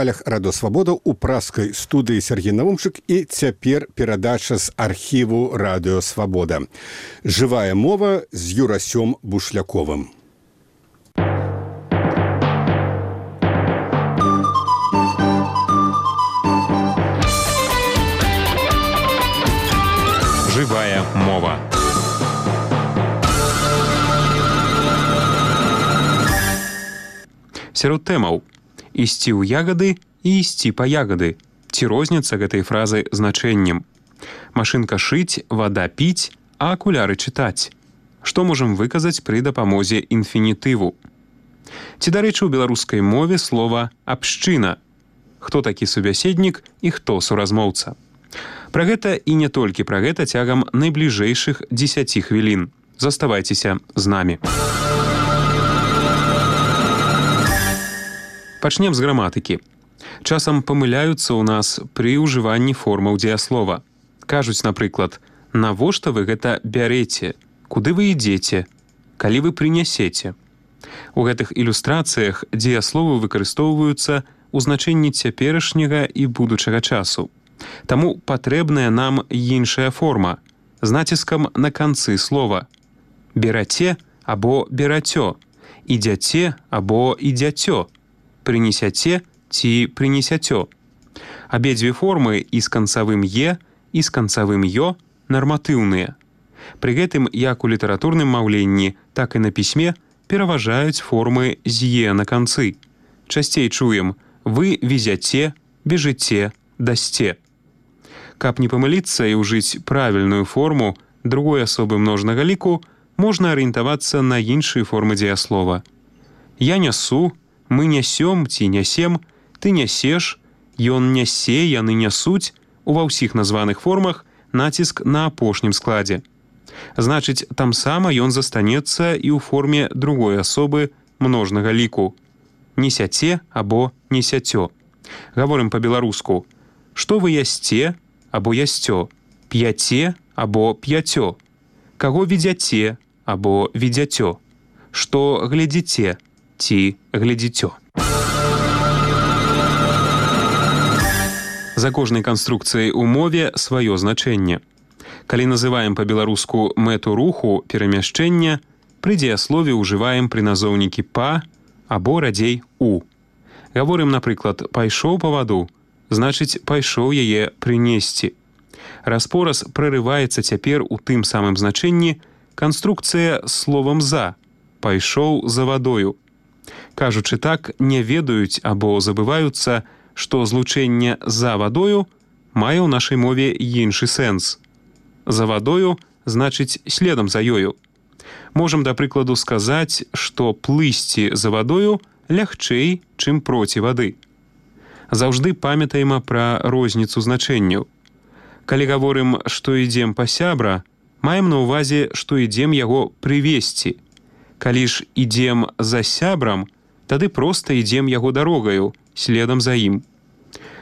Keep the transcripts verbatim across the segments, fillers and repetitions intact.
Радыёвабода ў праскай студыі Сергей Наумчык і цяпер перадача з архіву Радыёвабода. Жывая мова з Юрасём Бушляковым. Жывая мова. Сярод тэмаў: ісці ў ягады і ісці па ягады. Ці розніца гэтай фразы значэннем? Машынка шыць, вада піць, а акуляры чытаць. Што можам выказаць пры дапамозе інфінітыву? Ці, дарэчы, у беларускай мове слова «абшчына»? Хто такі субяседнік і хто суразмоўца? Пра гэта і не толькі пра гэта цягам найбліжэйшых дзесяці хвілін. Заставайцеся з намі. Пачнем з граматыкі. Часам памыляюцца ў нас пры ўжыванні формаў дзеяслова. Кажуць, напрыклад, навошта вы гэта бярэце, куды вы ідзеце, калі вы прынясеце. У гэтых ілюстрацыях дзеясловы выкарыстоўваюцца ў значэнні цяперашняга і будучага часу. Таму патрэбная нам іншая форма з націскам на канцы слова. Бераце або берацё, ідзяце або ідзяцё, прынесяце ці прынесяцё. Абедзве формы і з канцавым «е», і з канцавым «ё» нарматыўныя. Пры гэтым як у літаратурным маўленні, так і на пісьме пераважаюць формы з «е» на канцы. Часцей чуем «вы везяце», «бежыце», «дасце». Каб не памыліцца і ўжыць правільную форму другой асобы множнага ліку, можна арыентавацца на іншыя формы дзеяслова. Я нясу, мы нясём ці нясем, ты нясеш, ён нясе, яны нясуць. Ува ўсіх названых формах націск на апошнім складзе. Значыць, там сама ён застанецца і ў форме другой асобы множнага ліку. Несяце або несяцё. Гаворым па-беларуску. Што вы ясце або ясцё, п'яце або п'яцё, каго ведзяце або ведзяцё, што глядзіце ці глядзіцё. За кожнай канструкцыяй у мове сваё значэнне. Калі называем па-беларуску мэту руху перамяшчэння, пры дзеяслове ўжываем прыназоўнікі «па» або радзей «у». Гаворым, напрыклад, «пайшоў па ваду», значыць, пайшоў яе прынесці. Распораз прарываецца цяпер у тым самым значэнні канструкцыя з словам «за», пайшоў за вадою. Кажучы так, не ведаюць або забываюцца, што злучэнне «за вадою» мае ў нашай мове іншы сэнс. За вадою значыць следам за ёю. Можам, да прыкладу, сказаць, што плысці за вадою лягчэй, чым проці вады. Заўжды памятаем пра розніцу значэнняў. Калі гаворым, што ідзем па сябра, маем на ўвазе, што ідзем яго прывесці. Калі ж ідзем за сябрам, тады проста ідзем яго дарогаю, следам за ім.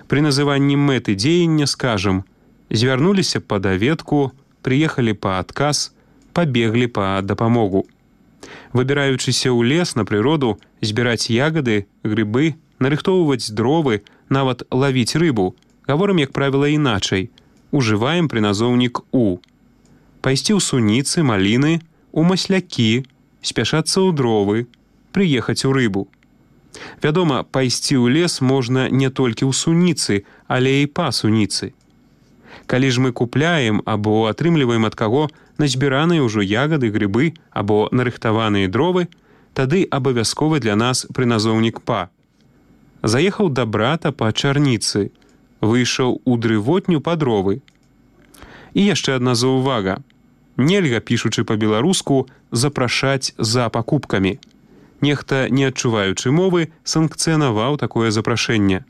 Пры называнні мэты дзеяння скажам: звярнуліся па даведку, прыехалі па адказ, пабеглі па дапамогу. Выбіраючыся ў лес на прыроду, збіраць ягады, грыбы, нарыхтоўваць дровы, нават лавіць рыбу, гаворым, як правіла, іначай. Ужываем прыназоўнік «у». Пайсці ў суніцы, маліны, у маслякі, спяшацца ў дровы, прыехаць у рыбу. Вядома, пайсці ў лес можна не толькі ў суніцы, але і па суніцы. Калі ж мы купляем або атрымліваем ад каго назбіраныя ўжо ягады, грыбы або нарыхтаваныя дровы, тады абавязковы для нас прыназоўнік «па». Заехаў да брата па чарніцы, выйшаў у дрывотню па дровы. І яшчэ адна заўвага. Нельга, пішучы па-беларуску, запрашаць за пакупкамі. Нехта, не адчуваючы мовы, санкцыянаваў такое запрашэнне.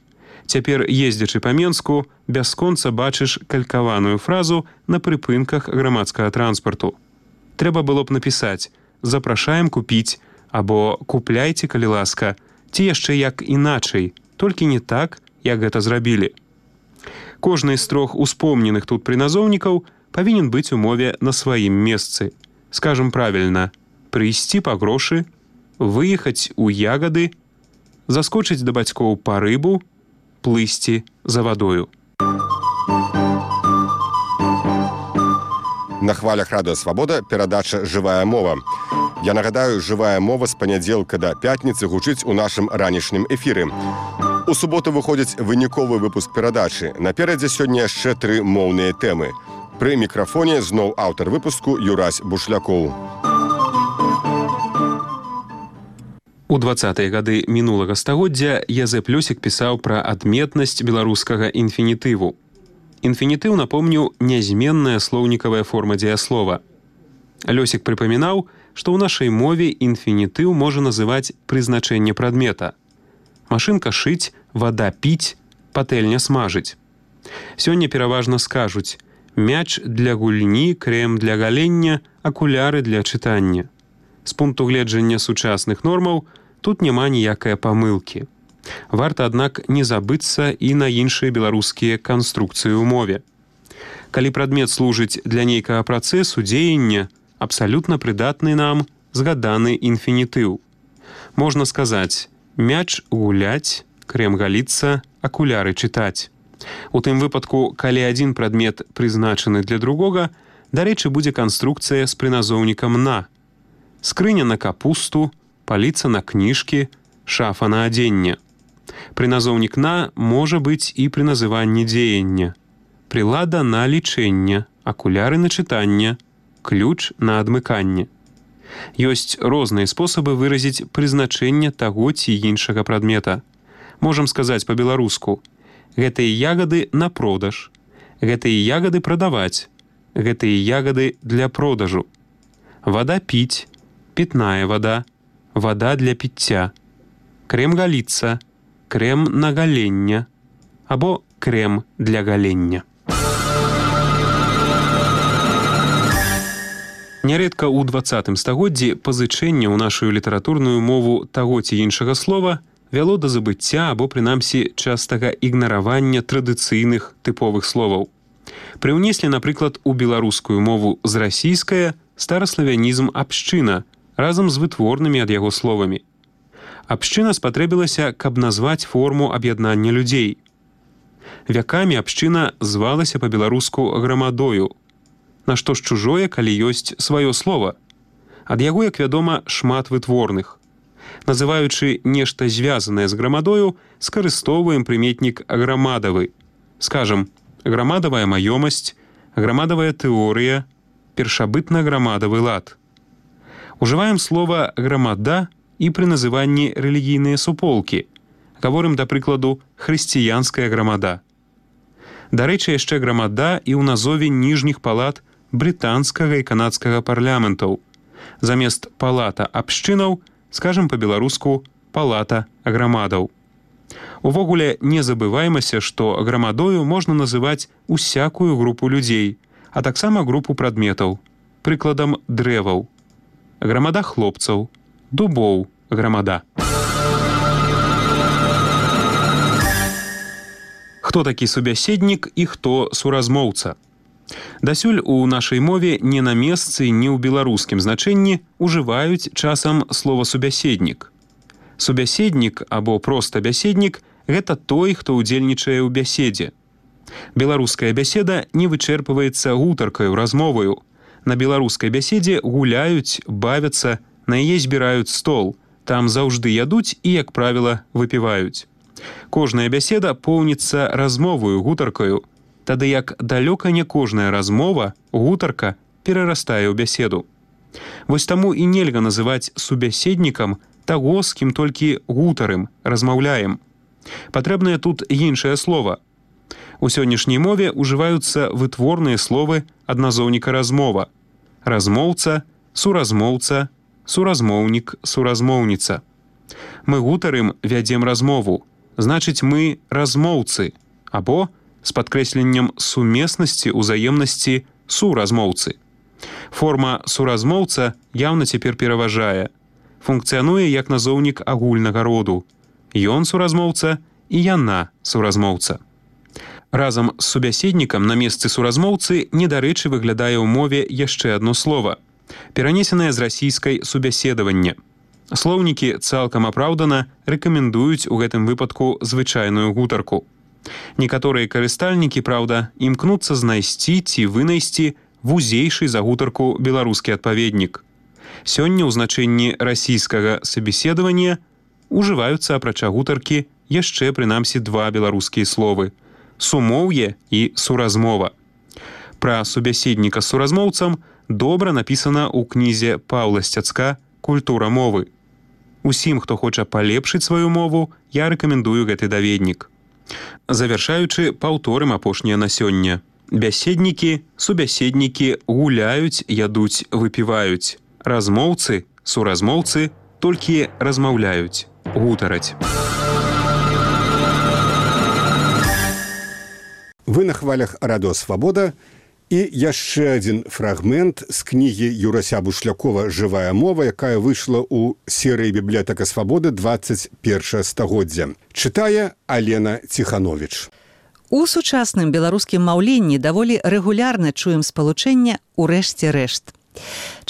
Цяпер, ездзячы па Менску, бясконца бачыш калькаваную фразу на прыпынках грамадскага транспарту. Трэба было б напісаць «запрашаем купіць» або «купляйце, калі ласка», ці яшчэ як іначай, толькі не так, як гэта зрабілі. Кожны з трох успомненых тут прыназоўнікаў павінен быць у мове на сваім месцы. Скажам правільна: прыйсці па грошы, выехаць у ягады, заскочыць да бацькоў па рыбу, плысці за вадою. На хвалях радыё Свабода перадача «Жывая мова». Я нагадаю, «Жывая мова» з панядзелка да пятніцы гучыць у нашым ранішнім эфіры. У суботу выходзіць выніковы выпуск перадачы. Наперадзе сёння яшчэ тры моўныя тэмы. Пры мікрафоне зноў аўтар выпуску Юрась Бушлякоў. У дваццатыя гады мінулага стагоддзя Язэп Лёсік пісаў пра адметнасць беларускага інфінітыву. Інфінітыў, напомню, нязменная слоўнікавая форма дзеяслова. Лёсік прыпамінаў, што ў нашай мове інфінітыў можа называць прызначэнне прадмета. Машынка шыць, вада піць, патэльня смажыць. Сёння пераважна скажуць: мяч для гульні, крэм для галення, акуляры для чытання. З пункту гледжання сучасных нормаў тут няма ніякае памылкі. Варта, аднак, не забыцца і на іншыя беларускія канструкцыі ў мове. Калі прадмет служыць для нейкага працэсу, дзеяння, абсалютна прыдатны нам згаданы інфінітыў. Можна сказаць: мяч гуляць, крэм галіцца, акуляры чытаць. У тым выпадку, калі адзін прадмет прызначаны для другога, дарэчы, будзе канструкцыя з прыназоўнікам «на». Скрыня на капусту, паліца на кніжкі, шафа на адзенне. Прыназоўнік «на» можа быць і пры называнні дзеяння. Прылада на лічэнне, акуляры на чытанне, ключ на адмыканне. Ёсць розныя спосабы выразіць прызначэнне таго ці іншага прадмета. Можам сказаць па-беларуску: гэтыя ягады на продаж, гэтыя ягады прадаваць, гэтыя ягады для продажу. Вада піць, пітная вада, вада для піцця. Крэм галіцца, крэм на галення або крэм для галення. Нярэдка ў дваццатым стагоддзі пазычэнне ў нашу літаратурную мову таго ці іншага слова вяло да забыцця або, прынамсі, частага ігнаравання традыцыйных тыповых словаў. Прыўнеслі, напрыклад, у беларускую мову з расійскае стараславянізм «абшчына» разам з вытворнымі ад яго словамі. Абшчына спатрэбілася, каб назваць форму аб'яднання людзей. Вякамі абшчына звалася па-беларуску грамадою. Нашто ж чужое, калі ёсць сваё слова? Ад яго, як вядома, шмат вытворных. Называючы нешта звязанае з грамадою, скарыстоўваем прыметнік грамадавы. Скажам, грамадавая маёмасць, грамадавая тэорыя, першабытна-грамадавы лад. Ужываем слова «грамада» і пры называнні рэлігійныя суполкі. Гаворым, да прыкладу, хрысціянская грамада. Дарэчы, яшчэ грамада і ў назове ніжніх палат брытанскага і канадскага парламентаў. Замест палата абшчынаў скажам па-беларуску палата грамадаў. Увогуле, не забываймася, што грамадою можна называць усякую групу людзей, а таксама групу прадметаў. Прыкладам, дрэваў. Грамада хлопцаў, дубоў, грамада. Хто такі субяседнік і хто суразмоўца? Дасюль у нашай мове не на месцы, ні ў беларускім значэнні ужываюць часам слова «субяседнік». Субяседнік або проста бяседнік – гэта той, хто ўдзельнічае ў бяседзе. Беларуская бяседа не вычэрпваецца гутаркаю, размоваю. На беларускай бяседзе гуляюць, бавяцца, на яе збіраюць стол. Там заўжды ядуць і, як правіла, выпіваюць. Кожная бяседа поўніцца размоваю, гутаркаю. Тады як далёка не кожная размова, гутарка, перарастае ў бяседу. Вось таму і нельга называць субяседнікам таго, з кім толькі гутарым, размаўляем. Патрэбнае тут іншае слова. У сённяшняй мове ўжываюцца вытворныя словы адназоўніка размова. Размоўца, суразмоўца, суразмоўнік, суразмоўніца. Мы гутарым, вядзем размову. Значыць, мы размоўцы, або з падкрэсленнем сумеснасці, узаемнасці суразмоўцы. Форма суразмоўца яўна цяпер пераважае. Функцыянуе як назоўнік агульнага роду. Ён суразмоўца і яна суразмоўца. Разам з субяседнікам на месцы суразмоўцы недарэчы выглядае ў мове яшчэ адно слова, перанесенае з расійскай субяседаванне. Слоўнікі цалкам апраўдана рэкамендуюць у гэтым выпадку звычайную гутарку. Некаторыя карыстальнікі, праўда, імкнуцца знайсці ці вынайсці вузейшы за гутарку беларускі адпаведнік. Сёння ў значэнні расійскага сабеседавання ужываюцца апрача гутаркі яшчэ прынамсі два беларускія словы – сумоўе і суразмова. Пра субяседніка з суразмоўцам добра напісана ў кнізе Паўла Сцяцка «Культура мовы». Усім, хто хоча палепшыць сваю мову, я рэкамендую гэты даведнік. Завяршаючы, паўторым апошняе на сёння. Бяседнікі, субяседнікі гуляюць, ядуць, выпіваюць. Размоўцы, суразмоўцы толькі размаўляюць, гутараць. Вы на хвалях радыё «Свабода». І яшчэ адзін фрагмент з кнігі Юрася Бушлякова «Жывая мова», якая выйшла ў серыі «Бібліятэка Свабоды» двадцать першае стагоддзя. Чытае Алена Ціхановіч. У сучасным беларускім маўленні даволі рэгулярна чуем спалучэнне «урэшце рэшт».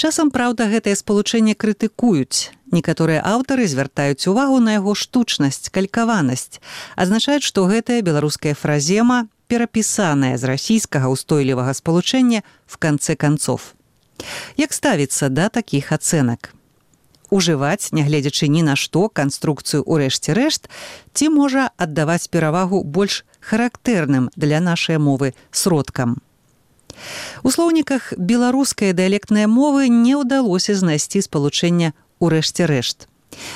Часам, праўда, гэтае спалучэнне крытыкуюць. Некаторыя аўтары звяртаюць увагу на яго штучнасць, калькаванасць, азначаюць, што гэтая беларуская фразема перапісаная з расійскага ўстойлівага спалучэння в канцэ канцоў. Як ставіцца да такіх ацэнак? Ужываць, нягледзячы ні на што, канструкцыю «урэшце рэшт» ці можа аддаваць перавагу больш характэрным для нашай мовы сродкам. У слоўніках беларускай дыялектнай мовы не ўдалося знайсці спалучэння «урэшце рэшт».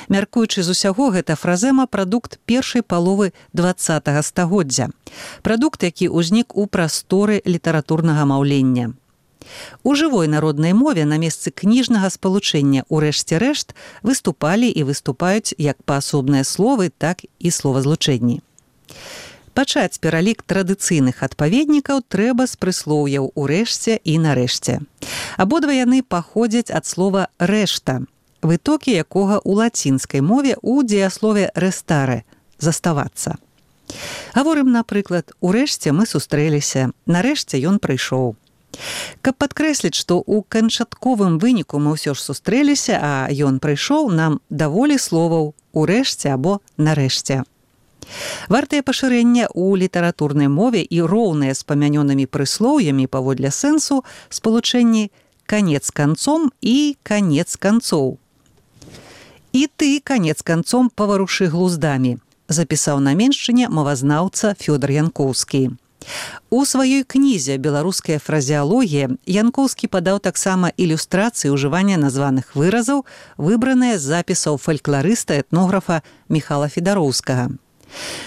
Мяркуючы з усяго, гэта фразема прадукт першай паловы дваццатага стагоддзя. Прадукт, які ўзнік у прасторы літаратурнага маўлення. У жывой народнай мове на месцы кніжнага спалучэння «урэшце рэшт» выступалі і выступаюць як паасобныя словы, так і словазлучэнні. Пачаць пералік традыцыйных адпаведнікаў трэба з прыслоўяў «урэшце» і «нарэшце». Абодва яны паходзяць ад слова «рэшта», вытокі якога ў лацінскай мове ў дзеяслове «рестаре» – «заставацца». Гаворым, напрыклад, «урэшце мы сустрэліся», «нарэшце ён прыйшоў». Каб падкрэсліць, што ў канчатковым выніку мы ўсё ж сустрэліся, а ён прыйшоў, нам даволі словаў «урэшце» або «нарэшце». Вартае пашырэння ў літаратурнай мове і роўныя з памянёнымі прыслоўямі паводле сэнсу спалучэнні «канец канцом» і «канец канцоў». «І ты, канец канцом, паварушы глуздамі», запісаў на меншчыне мовазнаўца Фёдор Янкоўскі. У сваёй кнізе «Беларуская фразеалогія» Янкоўскі падаў таксама ілюстрацыі ўжывання названых выразаў, выбраныя з запісаў фалькларыста-этнографа Міхала Федароўскага.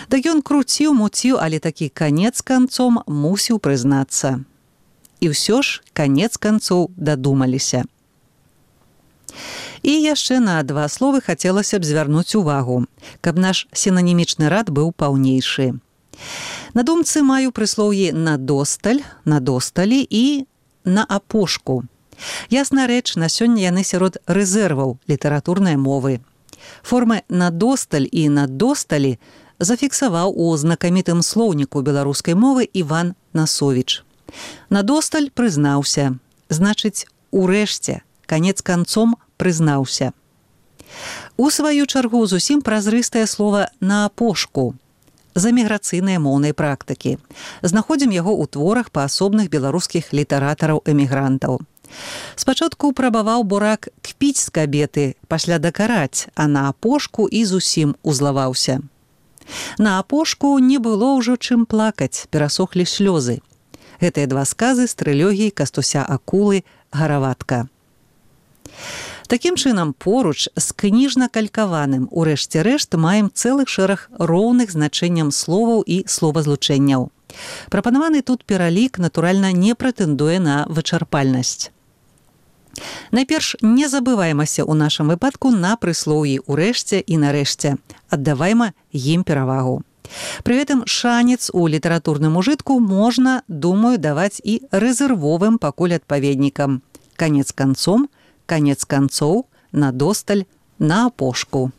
Так ён круціў, муціў, але такі канец канцом мусіў прызнацца. І ўсё ж канец канцоў дадумаліся. І яшчэ на два словы хацелася б звярнуць увагу, каб наш сінанімічны рад быў паўнейшы. На думцы маю прыслоўі «надосталь», «надосталі» і «на апошку». Ясна рэч, на сёння яны сярод рэзерваў літаратурнай мовы. Формы «надосталь» і «надосталі» зафіксаваў у знакамітым слоўніку беларускай мовы Іван Насовіч. «Надосталь» прызнаўся, значыць, урэшце, канец канцом прызнаўся. У сваю чаргу зусім празрыстае слова «на апошку» з эміграцыйнай моўнай практыкі. Знаходзім яго ў творах паасобных беларускіх літаратараў-эмігрантаў. Спачатку прабаваў бурак кпіць з кабеты, пасля дакараць, а на апошку і зусім узлаваўся. На апошку не было ўжо чым плакаць, перасохлі слёзы. Гэтыя два сказы з трылогіі Кастуся Акулы «Гараватка». Такім чынам, поруч з кніжна-калькаваным «урэшце рэшт» маем цэлы шэраг роўных значэнням словаў і словазлучэнняў. Прапанаваны тут пералік, натуральна, не прэтэндуе на вычарпальнасць. Найперш, не забываймася ў нашым выпадку на прыслоўі «урэшце» і «нарэшце». Аддавайма ім перавагу. Пры гэтым шанец у літаратурным ужытку можна, думаю, даваць і рэзервовым пакуль адпаведнікам. Канец канцом, канец канцоў, надосталь, на апошку.